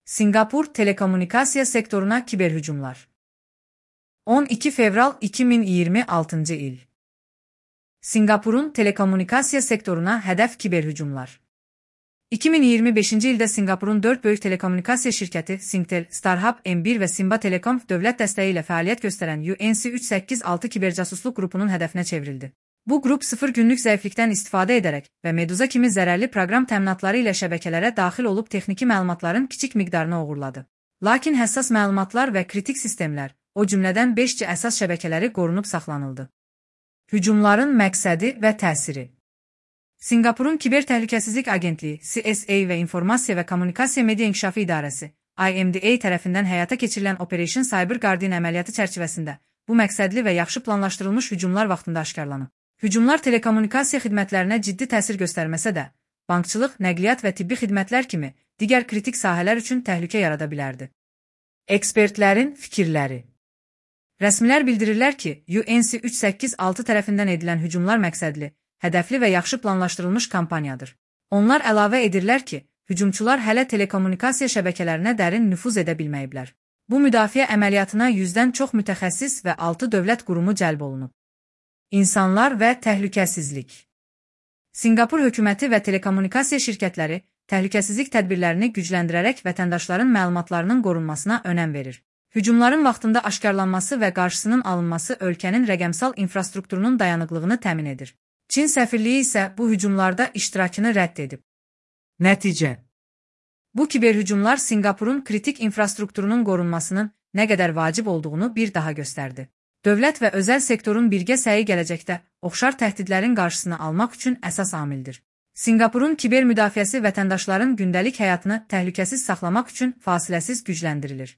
Singapur telekommunikasiya sektoruna kiberhücumlar. 12 fevral 2026 il. Singapurun telekommunikasiya sektoruna hədəf kiberhücumlar. 2025-ci ildə Singapurun 4 böyük telekommunikasiya şirkəti Singtel, StarHub, M1 və Simba Telecom dövlət dəstəyi ilə fəaliyyət göstərən UNC 386 kibercasusluq qrupunun hədəfinə çevrildi. Bu qrup 0 günlük zəiflikdən istifadə edərək və Meduza kimi zərərli proqram təminatları ilə şəbəkələrə daxil olub texniki məlumatların kiçik miqdarını oğurladı. Lakin həssas məlumatlar və kritik sistemlər, o cümlədən 5G əsas şəbəkələri qorunub saxlanıldı. Hücumların məqsədi və təsiri. Singapurun Kiber Təhlükəsizlik Agentliyi CSA və İnformasiya və Kommunikasiya Media İnkişafı İdarəsi IMDA tərəfindən həyata keçirilən Operation Cyber Guardian əməliyyatı çərçivəsində bu məqsədli və yaxşı planlaşdırılmış hücumlar vaxtında aşkarlanıb. Hücumlar telekommunikasiya xidmətlərinə ciddi təsir göstərməsə də, bankçılıq, nəqliyyat və tibbi xidmətlər kimi digər kritik sahələr üçün təhlükə yarada bilərdi. Ekspertlərin fikirləri. Rəsmilər bildirirlər ki, UNC 386 tərəfindən edilən hücumlar məqsədli, hədəfli və yaxşı planlaşdırılmış kampaniyadır. Onlar əlavə edirlər ki, hücumçular hələ telekommunikasiya şəbəkələrinə dərin nüfuz edə bilməyiblər. Bu müdafiə əməliyyatına 100-dən çox mütəxəssis və 6 dövlət qurumu cəlb olunub. İnsanlar və təhlükəsizlik. Singapur hökuməti və telekommunikasiya şirkətləri təhlükəsizlik tədbirlərini gücləndirərək vətəndaşların məlumatlarının qorunmasına önəm verir. Hücumların vaxtında aşkarlanması və qarşısının alınması ölkənin rəqəmsal infrastrukturunun dayanıqlığını təmin edir. Çin səfirliyi isə bu hücumlarda iştirakını rədd edib. Nəticə. Bu kiberhücumlar Singapurun kritik infrastrukturunun qorunmasının nə qədər vacib olduğunu bir daha göstərdi. Dövlət və özəl sektorun birgə səyi gələcəkdə oxşar təhdidlərin qarşısını almaq üçün əsas amildir. Singapurun kiber müdafiəsi vətəndaşların gündəlik həyatını təhlükəsiz saxlamaq üçün fasiləsiz gücləndirilir.